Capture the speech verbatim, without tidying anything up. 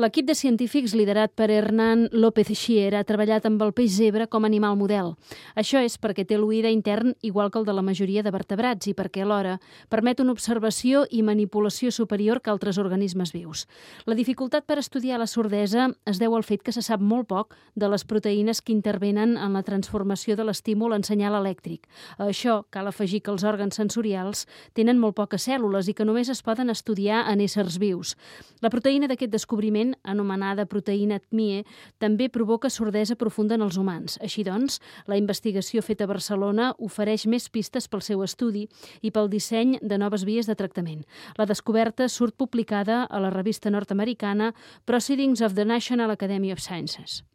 L'equip de científics liderat per Hernán López Schier ha treballat amb el peix zebra com a animal model. Això és perquè té l'oïda intern igual que el de la majoria de vertebrats i perquè alhora permet una observació i manipulació superior que altres organismes vius. La dificultat per estudiar la sordesa es deu al fet que se sap molt poc de les proteïnes que intervenen en la transformació de l'estímul en senyal elèctric. A això cal afegir que els òrgans sensorials tenen molt poques cèl·lules i que només es poden estudiar en éssers vius. La proteïna d'aquest descobriment, anomenada proteïna T M I E, també provoca sordesa profunda en els humans. Així doncs, la investigació feta a Barcelona ofereix més pistes pel seu estudi i pel disseny de noves vies de tractament. La descoberta surt publicada a la revista nord-americana Proceedings of the National Academy of Sciences.